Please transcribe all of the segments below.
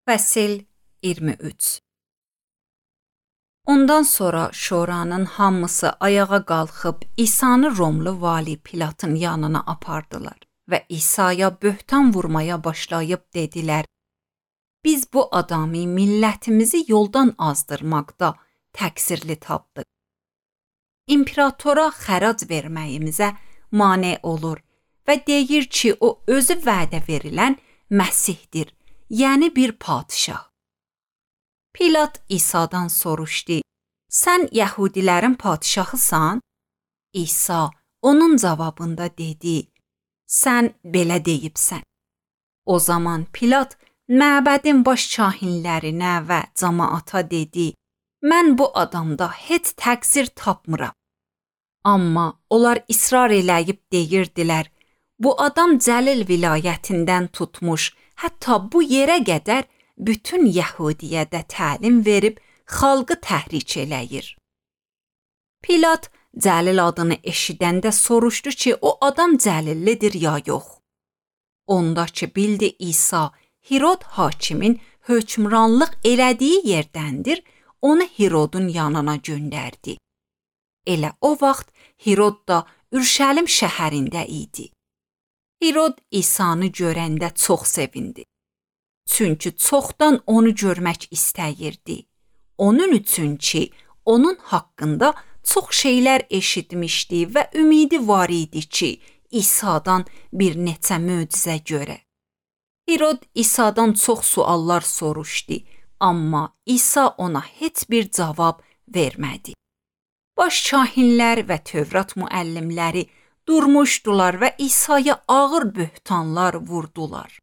Fəsil 23. Ondan sonra şoranın hamısı ayağa qalxıb İsa'nı Romlu vali Pilatın yanına apardılar və İsa'ya böhtan vurmaya başlayıb dedilər: Biz bu adamı millətimizi yoldan azdırmaqda təqsirli tapdıq. İmperatora xərac verməyimizə mane olur və deyir ki, o özü vədə verilən Məsihdir, yəni bir padişah. Pilat İsa'dan soruşdu: Sən Yəhudilərin padişahısan? İsa onun cavabında dedi: Sən belə deyibsən. O zaman Pilat məbədin baş kahinlərinə və cəmaata dedi: Mən bu adamda heç təqsir tapmıram. Amma onlar israr eləyib deyirdilər: Bu adam Cəlil vilayətindən tutmuş, hətta bu yerə qədər bütün Yəhudiyə də təlim verib xalqı təhrik eləyir. Pilat Cəlil adını eşidəndə soruşdu ki, o adam Cəlillidir ya yox. Onda ki bildi İsa Hirod hakimin hökmranlıq elədiyi yerdəndir, onu Hirodun yanına göndərdi. Elə o vaxt Hirod da Ürşəlim şəhərində idi. Hirod İsa'nı görəndə çox sevindi. Çünki çoxdan onu görmək istəyirdi. Onun üçün ki, onun haqqında çox şeylər eşitmişdi və ümidi var idi ki, İsa'dan bir neçə möcüzə görə. Hirod İsa'dan çox suallar soruşdu, amma İsa ona heç bir cavab vermədi. Baş kahinlər və Tövrat müəllimləri durmuşdular və İsa'ya ağır böhtanlar vurdular.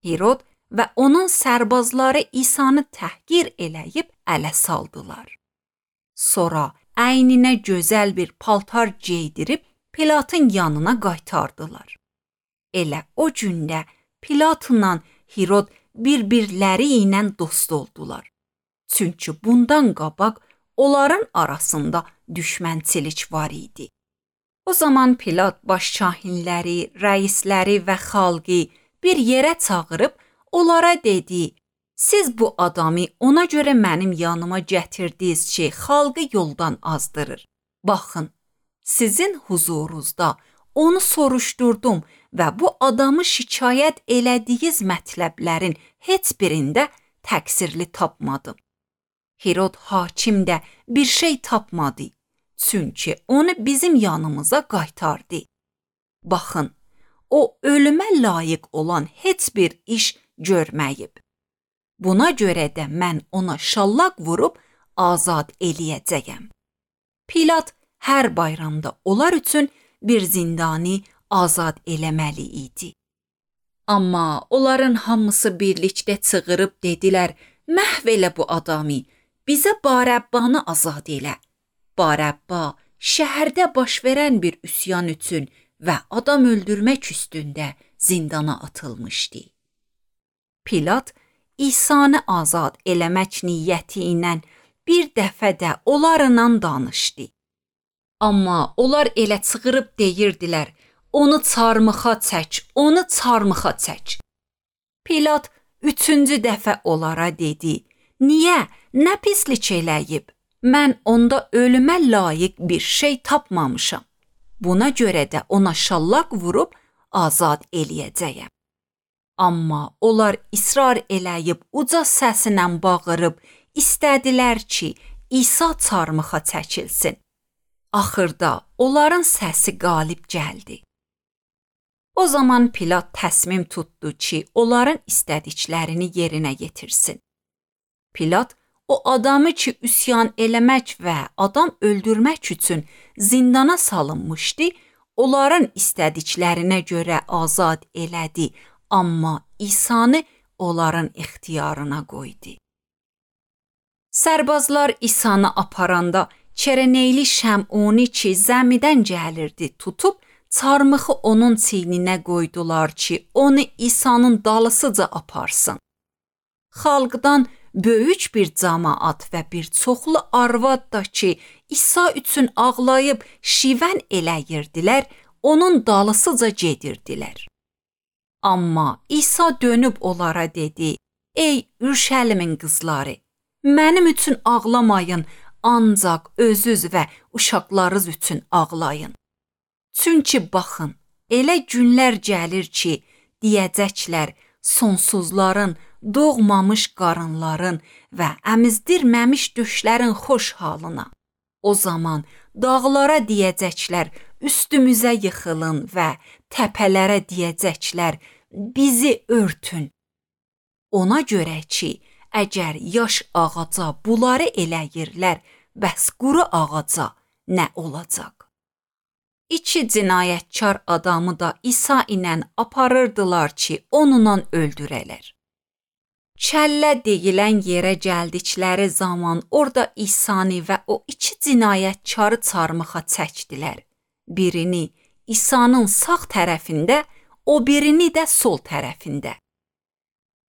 Hirod və onun sərbazları İsa'nı təhqir eləyib ələ saldılar. Sonra əyninə gözəl bir paltar geydirib Pilatın yanına qaytardılar. Elə o gündə Pilatla Hirod bir-birləri ilə dost oldular. Çünki bundan qabaq onların arasında düşmənçilik var idi. O zaman Pilat baş kahinləri, rəisləri və xalqı bir yerə çağırıb onlara dedi: Siz bu adamı ona görə mənim yanıma gətirdiniz ki, xalqı yoldan azdırır. Baxın, sizin huzurunuzda onu soruşdurdum və bu adamı şikayət elədiyiniz mətləblərin heç birində təqsirli tapmadım. Hirod hakim də bir şey tapmadı, çünki onu bizim yanımıza qaytardı. Baxın, o ölümə layiq olan heç bir iş görməyib. Buna görə də mən ona şallaq vurub azad eləyəcəyəm. Pilat hər bayramda onlar üçün bir zindanı azad eləməli idi. Amma onların hamısı birlikdə çığırıb dedilər: Məhv elə bu adamı, bizə Barəbbanı azad elə. Barəbba şəhərdə baş verən bir üsyan üçün və adam öldürmək üstündə zindana atılmışdı. Pilat İsa'nı azad eləmək niyyəti ilə bir dəfə də onlarla danışdı. Amma onlar elə çığırıb deyirdilər: Onu çarmıxa çək, onu çarmıxa çək. Pilat üçüncü dəfə onlara dedi: Niyə, nə pislik eləyib? Mən onda ölümə layiq bir şey tapmamışam. Buna görə də ona şallaq vurub azad eləyəcəyəm. Amma onlar israr eləyib uca səsilə bağırıb istədilər ki, İsa çarmıxa çəkilsin. Axırda onların səsi qalib gəldi. O zaman Pilat təsmim tutdu ki, onların istədiklərini yerinə yetirsin. Pilat o adamı ki, üsyan eləmək və adam öldürmək üçün zindana salınmışdı, onların istədiklərinə görə azad elədi, amma İsa'nı onların ixtiyarına qoydu. Sərbazlar İsa'nı aparanda Çereneyli Şəmuni ki, zəmidən gəlirdi, tutub çarmıxı onun çiyninə qoydular ki, onu İsa'nın dalısıca aparsın. Xalqdan böyük bir cəmaat və bir çoxlu arvad da ki, İsa üçün ağlayıb şivən eləyirdilər, onun dalısıca gedirdilər. Amma İsa dönüb onlara dedi: Ey Ürşəlimin qızları, mənim üçün ağlamayın, ancaq özünüz və uşaqlarınız üçün ağlayın. Çünki baxın, elə günlər gəlir ki, deyəcəklər sonsuzların, doğmamış qarınların və əmizdirməmiş döşlərin xoş halına. O zaman dağlara deyəcəklər, üstümüzə yıxılın və təpələrə deyəcəklər, bizi örtün. Ona görə ki, əgər yaş ağaca bunları eləyirlər, bəs quru ağaca nə olacaq? İki cinayətkar adamı da İsa ilə aparırdılar ki, onunla öldürələr. Kəllə deyilən yerə gəldikləri zaman orada İsa'nı və o iki cinayətkarı çarmıxa çəkdilər. Birini İsa'nın sağ tərəfində, o birini də sol tərəfində.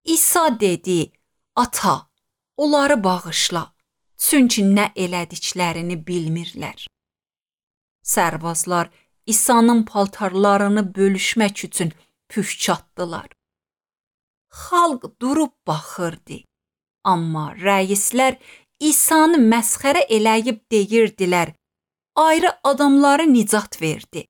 İsa dedi, ata, onları bağışla, çünki nə elədiklərini bilmirlər. Sərbazlar İsa'nın paltarlarını bölüşmək üçün püşk atdılar. Xalq durub baxırdı, amma rəislər İsa'nı məsxərə eləyib deyirdilər, ayrı adamları nicat verdi.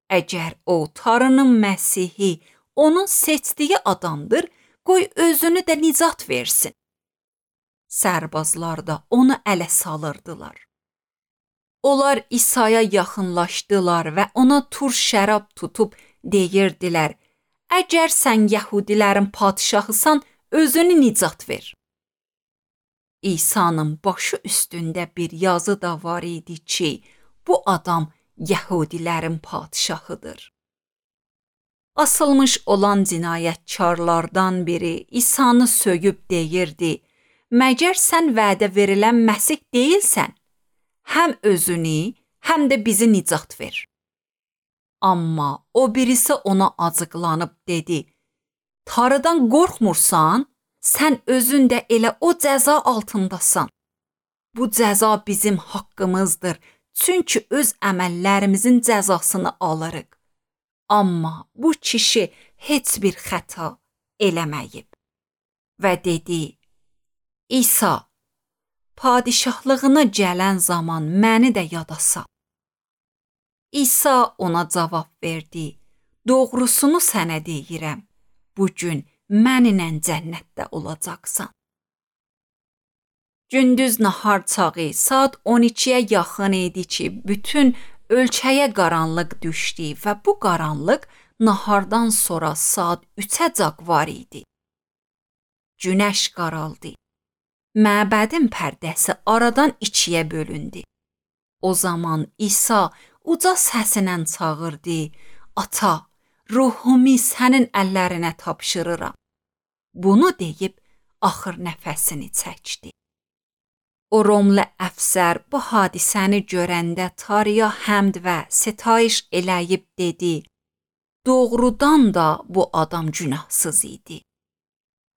Əgər o Tanrının Məsihi, onun seçdiyi adamdır, qoy özünü də nicat versin. Sərbazlar da onu ələ salırdılar. Onlar İsa'ya yaxınlaşdılar və ona tur şərab tutub deyirdilər, əgər sən Yəhudilərin padişahısan, özünü nicat ver. İsa'nın başı üstündə bir yazı da var idi ki, bu adam Yəhudilərin padişahıdır. Asılmış olan cinayətkarlardan biri İsa'nı söyüb deyirdi, məgər sən vədə verilən Məsih deyilsən? Həm özünü, həm də bizi nicat ver. Amma o birisi ona acıqlanıb dedi, Tanrıdan qorxmursan, sən özün də elə o cəza altındasan. Bu cəza bizim haqqımızdır, çünki öz əməllərimizin cəzasını alırıq. Amma bu kişi heç bir xəta eləməyib. Və dedi, İsa, padişahlığına gələn zaman məni də yada sal. İsa ona cavab verdi, doğrusunu sənə deyirəm, bugün mənimlə cənnətdə olacaqsan. Gündüz nahar çağı saat 12-yə yaxın idi ki, bütün ölkəyə qaranlıq düşdü və bu qaranlıq nahardan sonra saat 3-əcək var idi. Günəş qaraldı. Məbədin pərdəsi aradan ikiyə bölündü. O zaman İsa uca səsindən çağırdı, ata, ruhumu sənin əllərinə tapşırıram. Bunu deyib axır nəfəsini çəkdi. O Romlu əfsər bu hadisəni görəndə Tanrıya həmd və sitayiş eləyib dedi, doğrudan da bu adam günahsız idi.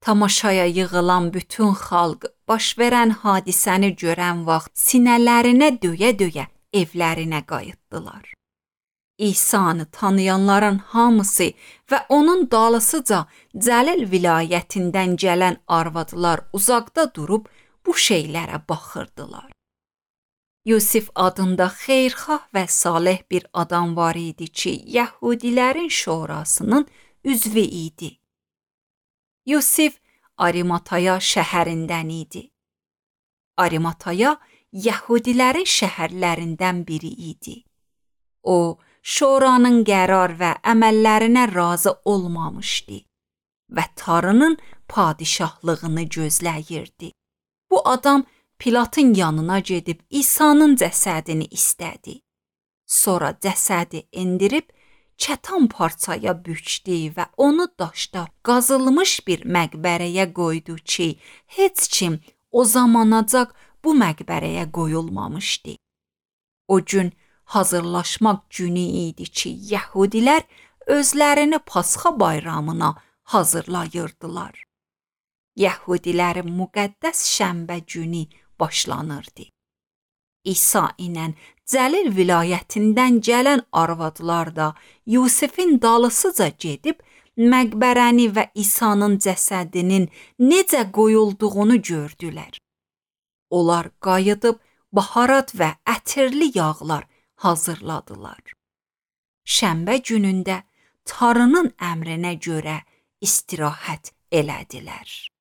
Tamaşaya yığılan bütün xalq baş verən hadisəni görən vaxt sinələrinə döyə-döyə evlərinə qayıtdılar. İsa'nı tanıyanların hamısı və onun dalısıca Cəlil vilayətindən gələn arvadlar uzaqda durub bu şeylərə baxırdılar. Yusif adında xeyirxah və salih bir adam var idi ki, Yəhudilərin şurasının üzvü idi. Yusif Arimataya şəhərindən idi. Arimataya Yəhudilərin şəhərlərindən biri idi. O, şuranın qərar və əməllərinə razı olmamışdı və Tanrının padişahlığını gözləyirdi. Bu adam Pilatın yanına gedib İsa'nın cəsədini istədi. Sonra cəsədi endirib kətan parçaya bükdü və onu daşda qazılmış bir məqbərəyə qoydu ki, heç kim o zamanacaq bu məqbərəyə qoyulmamışdı. O gün hazırlaşmaq günü idi ki, Yəhudilər özlərini Pasxa bayramına hazırlayırdılar. Yəhudilərin müqəddəs şənbə günü başlanırdı. İsa ilə Cəlil vilayətindən gələn arvadlar da Yusifin dalısıca gedib məqbərəni və İsa'nın cəsədinin necə qoyulduğunu gördülər. Onlar qayıdıb baharat və ətirli yağlar hazırladılar. Şənbə günündə Tanrının əmrinə görə istirahət elədilər.